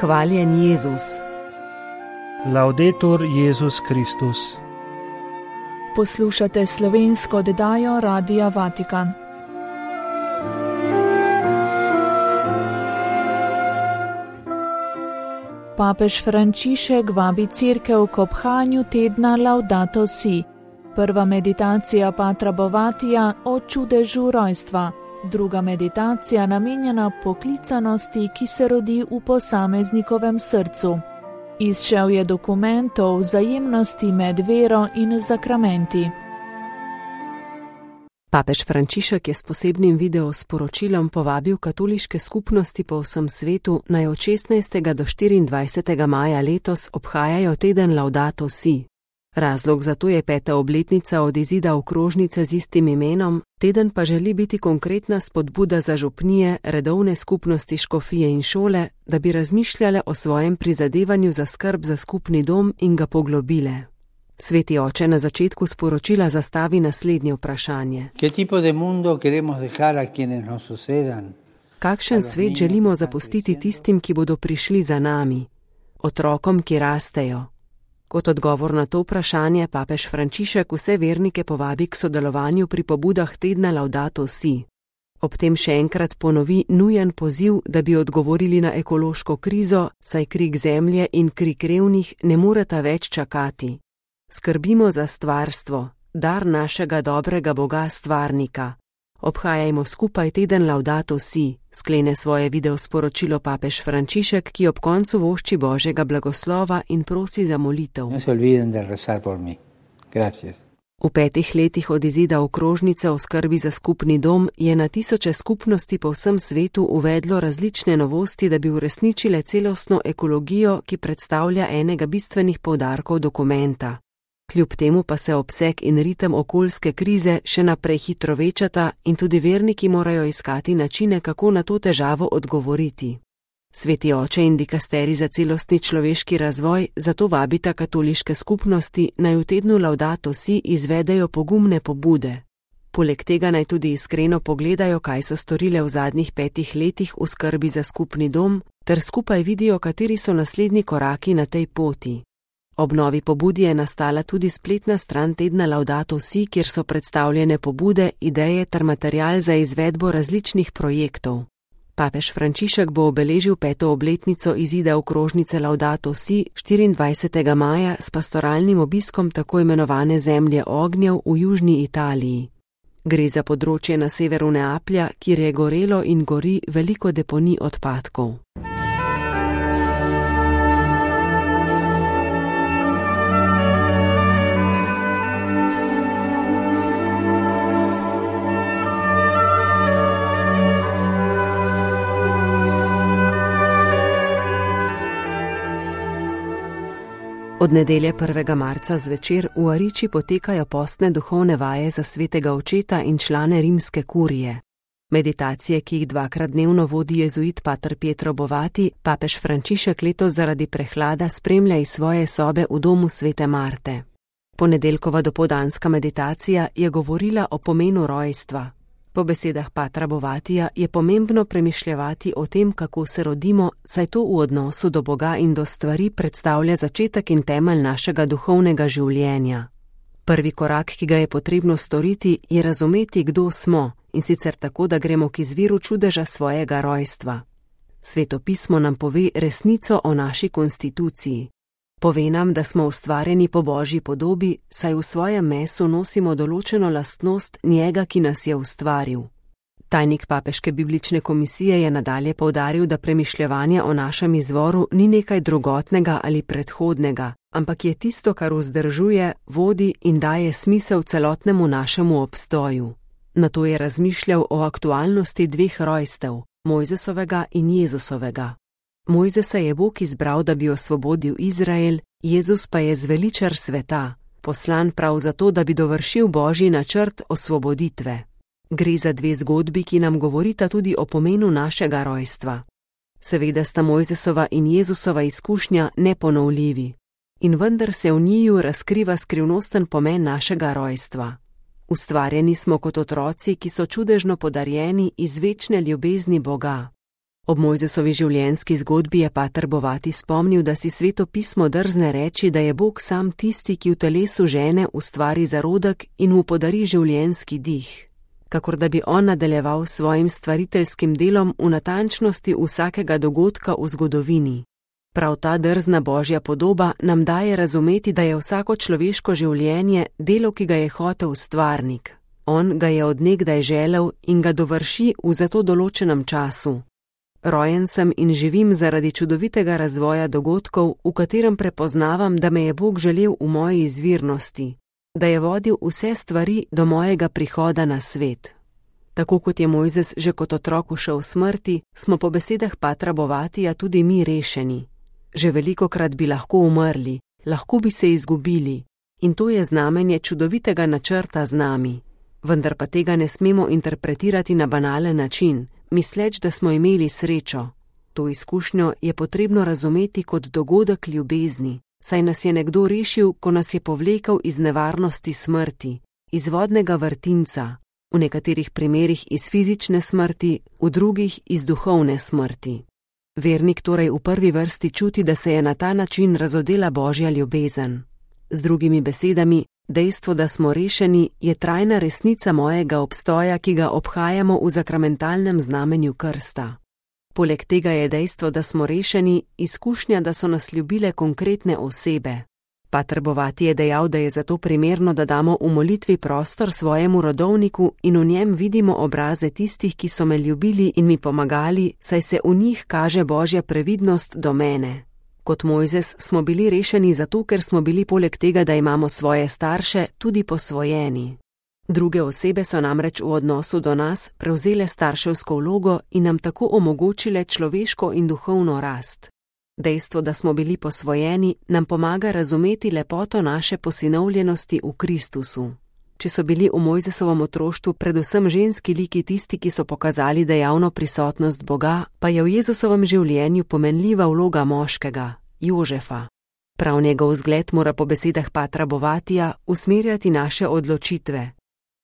Hvaljen Jezus. Laudetur Jezus Kristus. Poslušate slovensko oddajo Radia Vatikan. Papež Frančišek vabi cerkev k obhajanju tedna Laudato Si. Prva meditacija Patra Bovatija o čudežu rojstva. Druga meditacija namenjena poklicanosti, ki se rodi v posameznikovem srcu. Izšel je dokument o vzajemnosti med vero in zakramenti. Papež Frančišek je s posebnim videosporočilom povabil katoliške skupnosti po vsem svetu, naj od 16. do 24. maja letos obhajajo teden Laudato Si. Razlog za to je 5. obletnica od izida okrožnice z istim imenom, teden pa želi biti konkretna spodbuda za župnije, redovne skupnosti, škofije in šole, da bi razmišljale o svojem prizadevanju za skrb za skupni dom in ga poglobile. Sveti oče na začetku sporočila zastavi naslednje vprašanje. Kakšen svet želimo zapustiti tistim, ki bodo prišli za nami, otrokom, ki rastejo? Kot odgovor na to vprašanje papež Frančišek vse vernike povabi k sodelovanju pri pobudah tedna Laudato Si. Ob tem še enkrat ponovi nujen poziv, da bi odgovorili na ekološko krizo, saj krik zemlje in krik revnih ne moreta več čakati. Skrbimo za stvarstvo, dar našega dobrega Boga stvarnika. Obhajajmo skupaj teden Laudato Si, sklene svoje videosporočilo papež Frančišek, ki ob koncu vošči Božjega blagoslova in prosi za molitev. V 5 letih od izida okrožnice o skrbi za skupni dom je na tisoče skupnosti po vsem svetu uvedlo različne novosti, da bi uresničile celostno ekologijo, ki predstavlja enega bistvenih poudarkov dokumenta. Kljub temu pa se obseg in ritem okoljske krize še naprej hitro večata in tudi verniki morajo iskati načine, kako na to težavo odgovoriti. Sveti oče in dikasterij za celostni človeški razvoj zato vabita katoliške skupnosti, naj v tednu Laudato Si izvedejo pogumne pobude. Poleg tega naj tudi iskreno pogledajo, kaj so storile v zadnjih 5 letih v skrbi za skupni dom, ter skupaj vidijo, kateri so naslednji koraki na tej poti. Ob novi pobudi je nastala tudi spletna stran tedna Laudato Si, kjer so predstavljene pobude, ideje ter material za izvedbo različnih projektov. Papež Frančišek bo obeležil 5. obletnico izida okrožnice Laudato Si 24. maja s pastoralnim obiskom tako imenovane zemlje ognjev v južni Italiji. Gre za področje na severu Neaplja, kjer je gorelo in gori veliko deponij odpadkov. Od nedelje 1. marca zvečer v Ariči potekajo postne duhovne vaje za svetega očeta in člane rimske kurije. Meditacije, ki jih 2-krat dnevno vodi jezuit pater Pietro Bovati, papež Frančišek letos zaradi prehlada spremlja iz svoje sobe v domu svete Marte. Ponedeljkova dopoldanska meditacija je govorila o pomenu rojstva. Po besedah patra Bovatija je pomembno premišljevati o tem, kako se rodimo, saj to v odnosu do Boga in do stvari predstavlja začetek in temelj našega duhovnega življenja. Prvi korak, ki ga je potrebno storiti, je razumeti, kdo smo, in sicer tako, da gremo k izviru čudeža svojega rojstva. Sveto pismo nam pove resnico o naši konstituciji. Pove nam, da smo ustvarjeni po Božji podobi, saj v svojem mesu nosimo določeno lastnost njega, ki nas je ustvaril. Tajnik papeške biblične komisije je nadalje poudaril, da premišljevanje o našem izvoru ni nekaj drugotnega ali predhodnega, ampak je tisto, kar vzdržuje, vodi in daje smisel celotnemu našemu obstoju. Nato je razmišljal o aktualnosti 2 rojstev, Mojzesovega in Jezusovega. Mojzesa je Bog izbral, da bi osvobodil Izrael, Jezus pa je zveličar sveta, poslan prav zato, da bi dovršil Božji načrt osvoboditve. Gre za 2 zgodbi, ki nam govorita tudi o pomenu našega rojstva. Seveda sta Mojzesova in Jezusova izkušnja neponovljivi. In vendar se v njiju razkriva skrivnosten pomen našega rojstva. Ustvarjeni smo kot otroci, ki so čudežno podarjeni iz večne ljubezni Boga. Ob Mojzesovi življenjski zgodbi je pater Bovati spomnil, da si Sveto pismo drzne reči, da je Bog sam tisti, ki v telesu žene ustvari zarodek in mu podari življenjski dih, kakor da bi on nadaljeval svojim stvariteljskim delom v natančnosti vsakega dogodka v zgodovini. Prav ta drzna Božja podoba nam daje razumeti, da je vsako človeško življenje delo, ki ga je hotel stvarnik. On ga je od nekdaj želel in ga dovrši v zato določenem času. Rojen sem in živim zaradi čudovitega razvoja dogodkov, v katerem prepoznavam, da me je Bog želel v moji izvirnosti, da je vodil vse stvari do mojega prihoda na svet. Tako kot je Mojzes že kot otrok ušel smrti, smo po besedah patra Bovatija tudi mi rešeni. Že velikokrat bi lahko umrli, lahko bi se izgubili, in to je znamenje čudovitega načrta z nami. Vendar pa tega ne smemo interpretirati na banalen način, misleč, da smo imeli srečo. To izkušnjo je potrebno razumeti kot dogodek ljubezni, saj nas je nekdo rešil, ko nas je povlekel iz nevarnosti smrti, iz vodnega vrtinca, v nekaterih primerih iz fizične smrti, v drugih iz duhovne smrti. Vernik torej v prvi vrsti čuti, da se je na ta način razodela Božja ljubezen. Z drugimi besedami, dejstvo, da smo rešeni, je trajna resnica mojega obstoja, ki ga obhajamo v zakramentalnem znamenju krsta. Poleg tega je dejstvo, da smo rešeni, izkušnja, da so nas ljubile konkretne osebe. Pater Bovati je dejal, da je zato primerno, da damo v molitvi prostor svojemu rodovniku in v njem vidimo obraze tistih, ki so me ljubili in mi pomagali, saj se v njih kaže Božja previdnost do mene. Kot Mojzes smo bili rešeni zato, ker smo bili poleg tega, da imamo svoje starše, tudi posvojeni. Druge osebe so namreč v odnosu do nas prevzele starševsko vlogo in nam tako omogočile človeško in duhovno rast. Dejstvo, da smo bili posvojeni, nam pomaga razumeti lepoto naše posinovljenosti v Kristusu. Če so bili v Mojzesovem otroštvu predvsem ženski liki tisti, ki so pokazali dejavno prisotnost Boga, pa je v Jezusovem življenju pomenljiva vloga moškega, Jožefa. Prav njegov vzgled mora po besedah patra Bovatija usmerjati naše odločitve.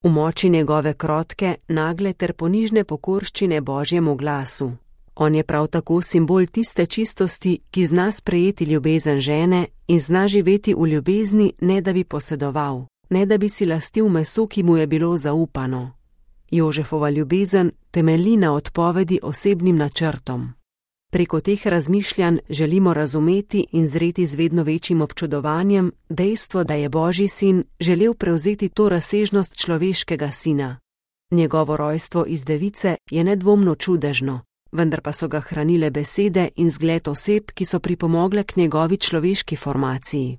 V moči njegove krotke, nagle ter ponižne pokorščine Božjemu glasu. On je prav tako simbol tiste čistosti, ki zna sprejeti ljubezen žene in zna živeti v ljubezni, ne da bi posedoval, ne da bi si lastil meso, ki mu je bilo zaupano. Jožefova ljubezen temelji na odpovedi osebnim načrtom. Preko teh razmišljanj želimo razumeti in zreti z vedno večjim občudovanjem dejstvo, da je Božji sin želel prevzeti to razsežnost človeškega sina. Njegovo rojstvo iz device je nedvomno čudežno, vendar pa so ga hranile besede in zgled oseb, ki so pripomogle k njegovi človeški formaciji.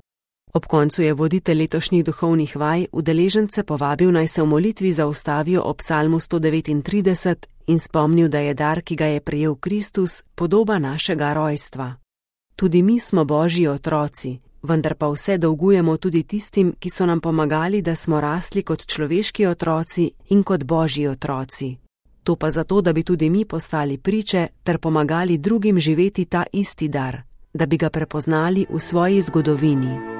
Ob koncu je voditelj letošnjih duhovnih vaj udeležence povabil, naj se v molitvi zaustavijo ob psalmu 139 in spomnil, da je dar, ki ga je prejel Kristus, podoba našega rojstva. Tudi mi smo Božji otroci, vendar pa vse dolgujemo tudi tistim, ki so nam pomagali, da smo rasli kot človeški otroci in kot Božji otroci. To pa zato, da bi tudi mi postali priče ter pomagali drugim živeti ta isti dar, da bi ga prepoznali v svoji zgodovini.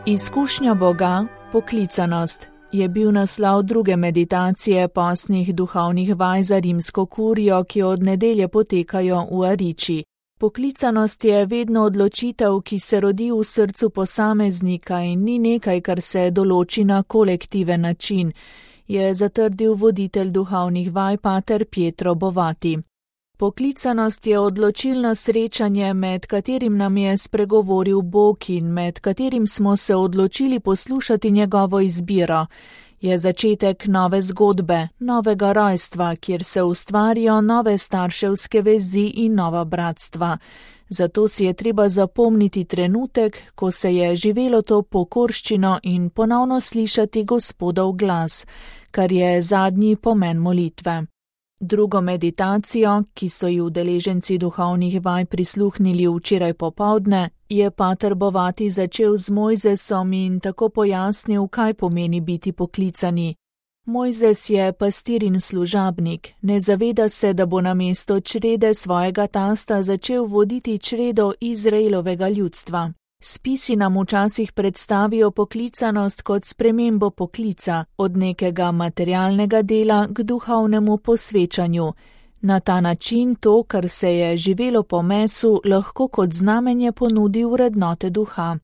Izkušnja Boga, poklicanost, je bil naslov druge meditacije postnih duhovnih vaj za rimsko kurijo, ki od nedelje potekajo v Ariči. Poklicanost je vedno odločitev, ki se rodi v srcu posameznika in ni nekaj, kar se določi na kolektiven način, je zatrdil voditelj duhovnih vaj pater Pietro Bovati. Poklicanost je odločilno srečanje, med katerim nam je spregovoril Bog in med katerim smo se odločili poslušati njegovo izbiro. Je začetek nove zgodbe, novega rojstva, kjer se ustvarijo nove starševske vezi in nova bratstva. Zato si je treba zapomniti trenutek, ko se je živelo to pokorščino in ponovno slišati Gospodov glas, kar je zadnji pomen molitve. Drugo meditacijo, ki so ji udeleženci duhovnih vaj prisluhnili včeraj popoldne, je pater Bovati začel z Mojzesom in tako pojasnil, kaj pomeni biti poklicani. Mojzes je pastir in služabnik, ne zaveda se, da bo namesto črede svojega tasta začel voditi čredo Izraelovega ljudstva. Spisi nam včasih predstavijo poklicanost kot spremembo poklica, od nekega materialnega dela k duhovnemu posvečanju. Na ta način to, kar se je živelo po mesu, lahko kot znamenje ponudi vrednote duha.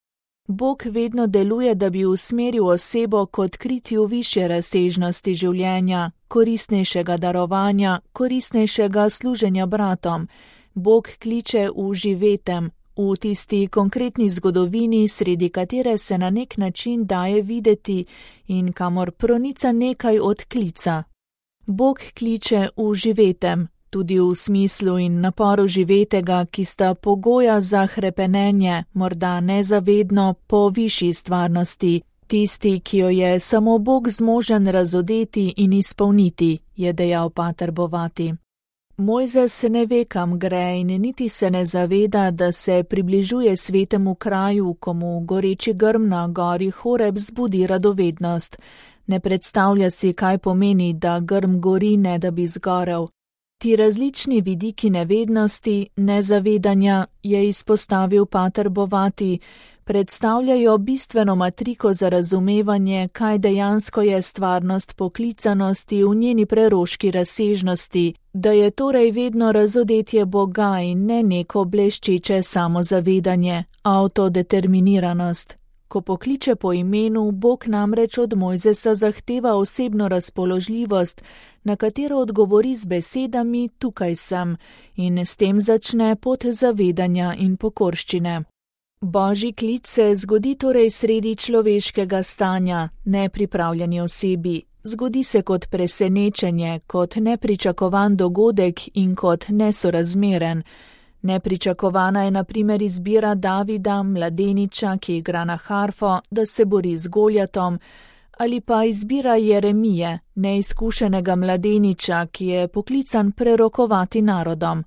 Bog vedno deluje, da bi usmeril osebo k odkritju višje razsežnosti življenja, koristnejšega darovanja, koristnejšega služenja bratom. Bog kliče v živetem, v tisti konkretni zgodovini, sredi katere se na nek način daje videti in kamor pronica nekaj od klica. Bog kliče v živetem, tudi v smislu in naporu živetega, ki sta pogoja za hrepenenje, morda nezavedno, po višji stvarnosti, tisti, ki jo je samo Bog zmožen razodeti in izpolniti, je dejal pater Bovati. Mojzes ne ve, kam gre in niti se ne zaveda, da se približuje svetemu kraju, komu goreči grm na gori Horeb zbudi radovednost. Ne predstavlja si, kaj pomeni, da grm gori, ne da bi zgorel. Ti različni vidiki nevednosti, nezavedanja, je izpostavil pater Bovati, predstavljajo bistveno matriko za razumevanje, kaj dejansko je stvarnost poklicanosti v njeni preroški razsežnosti, da je torej vedno razodetje Boga in ne neko bleščeče samozavedanje, avtodeterminiranost. Ko pokliče po imenu, Bog namreč od Mojzesa zahteva osebno razpoložljivost, na katero odgovori z besedami tukaj sem, in s tem začne pot zavedanja in pokorščine. Božji klic se zgodi torej sredi človeškega stanja, nepripravljeni osebi. Zgodi se kot presenečenje, kot nepričakovan dogodek in kot nesorazmeren. Nepričakovana je na primer izbira Davida, mladeniča, ki igra na harfo, da se bori z Goljatom, ali pa izbira Jeremije, neizkušenega mladeniča, ki je poklican prerokovati narodom.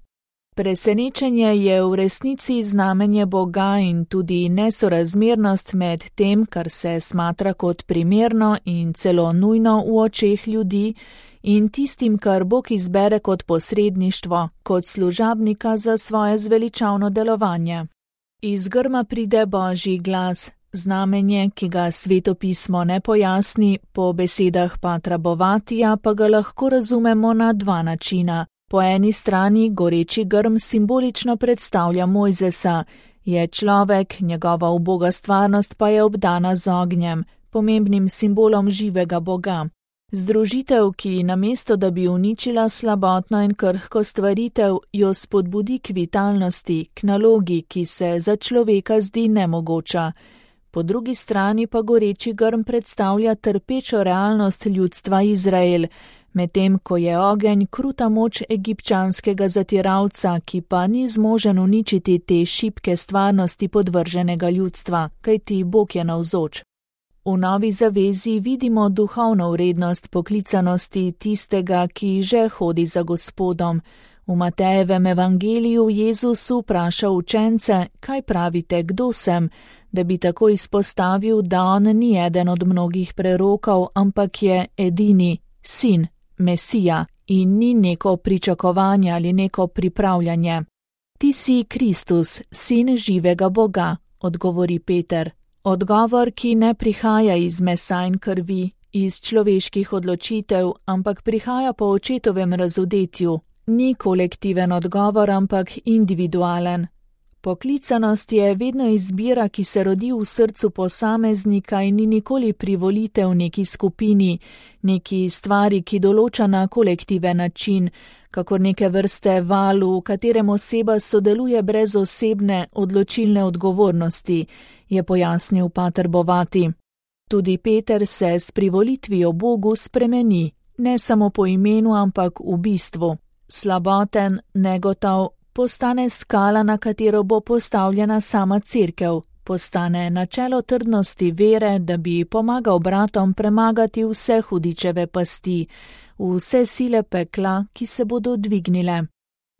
Presenečenje je v resnici znamenje Boga in tudi nesorazmernost med tem, kar se smatra kot primerno in celo nujno v očeh ljudi, in tistim, kar Bog izbere kot posredništvo, kot služabnika za svoje zveličavno delovanje. Iz grma pride Božji glas, znamenje, ki ga svetopismo ne pojasni, po besedah patra Bovatija pa ga lahko razumemo na dva načina. Po eni strani goreči grm simbolično predstavlja Mojzesa, je človek, njegova uboga stvarnost pa je obdana z ognjem, pomembnim simbolom živega Boga. Združitev, ki namesto da bi uničila slabotno in krhko stvaritev, jo spodbudi k vitalnosti, k nalogi, ki se za človeka zdi nemogoča. Po drugi strani pa goreči grm predstavlja trpečo realnost ljudstva Izrael, medtem ko je ogenj kruta moč egipčanskega zatiralca, ki pa ni zmožen uničiti te šibke stvarnosti podvrženega ljudstva, kajti Bog je navzoč. V Novi zavezi vidimo duhovno vrednost poklicanosti tistega, ki že hodi za Gospodom. V Matejevem evangeliju Jezus vpraša učence, kaj pravite, kdo sem, da bi tako izpostavil, da on ni eden od mnogih prerokov, ampak je edini, sin, Mesija, in ni neko pričakovanje ali neko pripravljanje. Ti si Kristus, sin živega Boga, odgovori Peter. Odgovor, ki ne prihaja iz mesa in krvi, iz človeških odločitev, ampak prihaja po očetovem razodetju. Ni kolektiven odgovor, ampak individualen. Poklicanost je vedno izbira, ki se rodi v srcu posameznika in ni nikoli privolitev neki skupini, neki stvari, ki določa na kolektiven način, kakor neke vrste valu, v katerem oseba sodeluje brez osebne odločilne odgovornosti, je pojasnil pater Bovati. Tudi Peter se s privolitvijo Bogu spremeni, ne samo po imenu, ampak v bistvu. Slaboten, negotov, postane skala, na katero bo postavljena sama cerkev, postane načelo trdnosti vere, da bi pomagal bratom premagati vse hudičeve pasti, vse sile pekla, ki se bodo dvignile.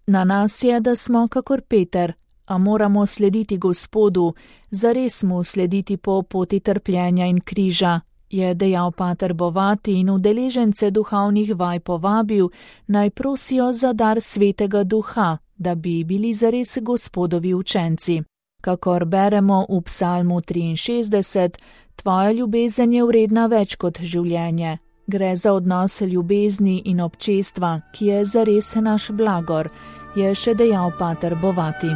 Na nas je, da smo kakor Peter, a moramo slediti Gospodu, zares mu slediti po poti trpljenja in križa, je dejal pater Bovati in udeležence duhovnih vaj povabil, naj prosijo za dar Svetega Duha, da bi bili zares Gospodovi učenci. Kakor beremo v Psalmu 63, tvoja ljubezen je vredna več kot življenje. Gre za odnos ljubezni in občestva, ki je zares naš blagor, je še dejal pater Bovati.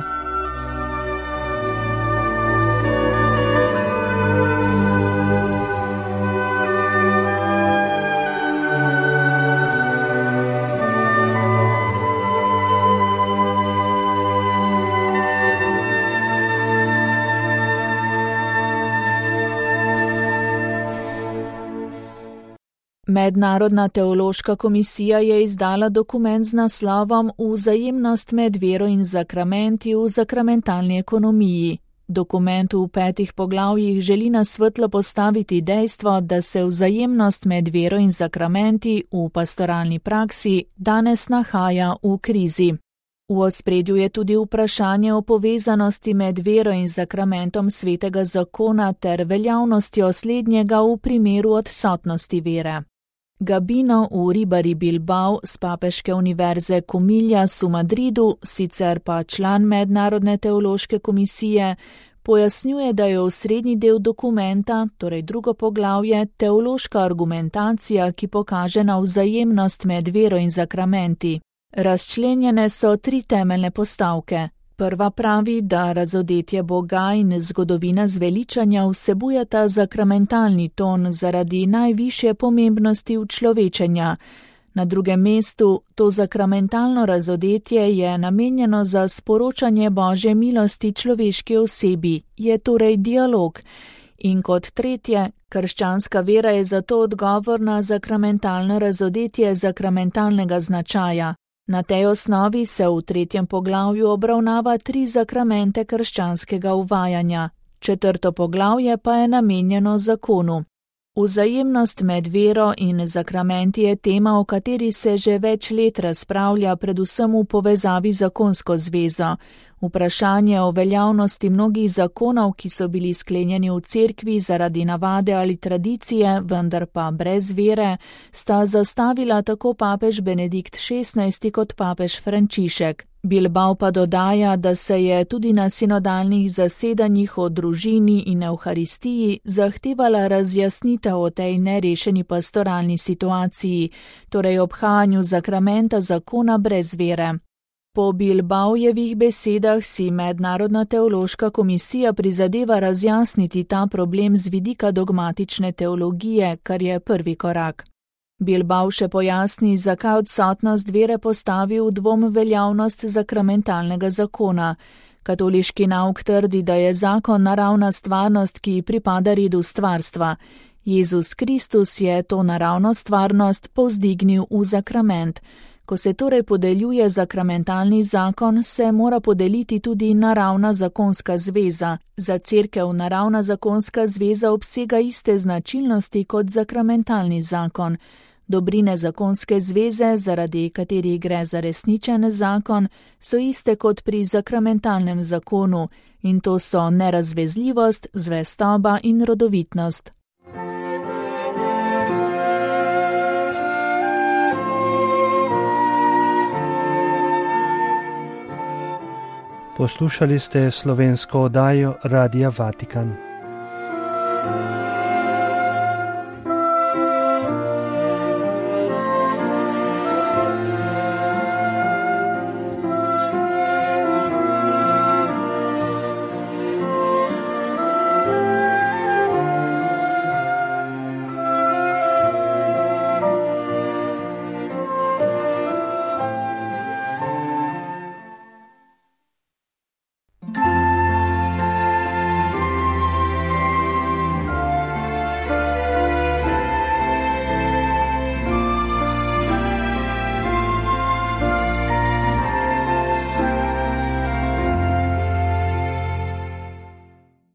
Mednarodna teološka komisija je izdala dokument z naslovom Vzajemnost med vero in zakramenti v zakramentalni ekonomiji. Dokument v 5 poglavjih želi na svetlo postaviti dejstvo, da se vzajemnost med vero in zakramenti v pastoralni praksi danes nahaja v krizi. V ospredju je tudi vprašanje o povezanosti med vero in zakramentom svetega zakona ter veljavnostjo slednjega v primeru odsotnosti vere. Gabino Uribarri Bilbao z Papeške univerze Comillas v Madridu, sicer pa član Mednarodne teološke komisije, pojasnjuje, da je osrednji del dokumenta, torej drugo poglavje, teološka argumentacija, ki pokaže na vzajemnost med vero in zakramenti. Razčlenjene so 3 temeljne postavke. Prva pravi, da razodetje Boga in zgodovina zveličanja vsebujeta zakramentalni ton zaradi najvišje pomembnosti učlovečenja. Na drugem mestu, to zakramentalno razodetje je namenjeno za sporočanje Božje milosti človeški osebi, je torej dialog. In kot tretje, krščanska vera je zato odgovor na zakramentalno razodetje zakramentalnega značaja. Na tej osnovi se v 3. poglavju obravnava 3 zakramente krščanskega uvajanja. 4. poglavje pa je namenjeno zakonu. Vzajemnost med vero in zakramenti je tema, o kateri se že več let razpravlja, predvsem v povezavi z zakonsko zvezo. Vprašanje o veljavnosti mnogih zakonov, ki so bili sklenjeni v cerkvi zaradi navade ali tradicije, vendar pa brez vere, sta zastavila tako papež Benedikt XVI kot papež Frančišek. Bilbao pa dodaja, da se je tudi na sinodalnih zasedanjih o družini in evharistiji zahtevala razjasnitev o tej nerešeni pastoralni situaciji, torej obhajanju zakramenta zakona brez vere. Po Bilbaojevih besedah si Mednarodna teološka komisija prizadeva razjasniti ta problem z vidika dogmatične teologije, kar je prvi korak. Bilbao še pojasni, zakaj odsotnost vere postavi v dvom veljavnost zakramentalnega zakona. Katoliški nauk trdi, da je zakon naravna stvarnost, ki pripada redu stvarstva. Jezus Kristus je to naravno stvarnost povzdignil v zakrament. Ko se torej podeljuje zakramentalni zakon, se mora podeliti tudi naravna zakonska zveza. Za cerkev naravna zakonska zveza obsega iste značilnosti kot zakramentalni zakon. Dobrine zakonske zveze, zaradi katerih gre za resničen zakon, so iste kot pri zakramentalnem zakonu, in to so nerazvezljivost, zvestoba in rodovitnost. Poslušali ste slovensko oddajo Radia Vatikan.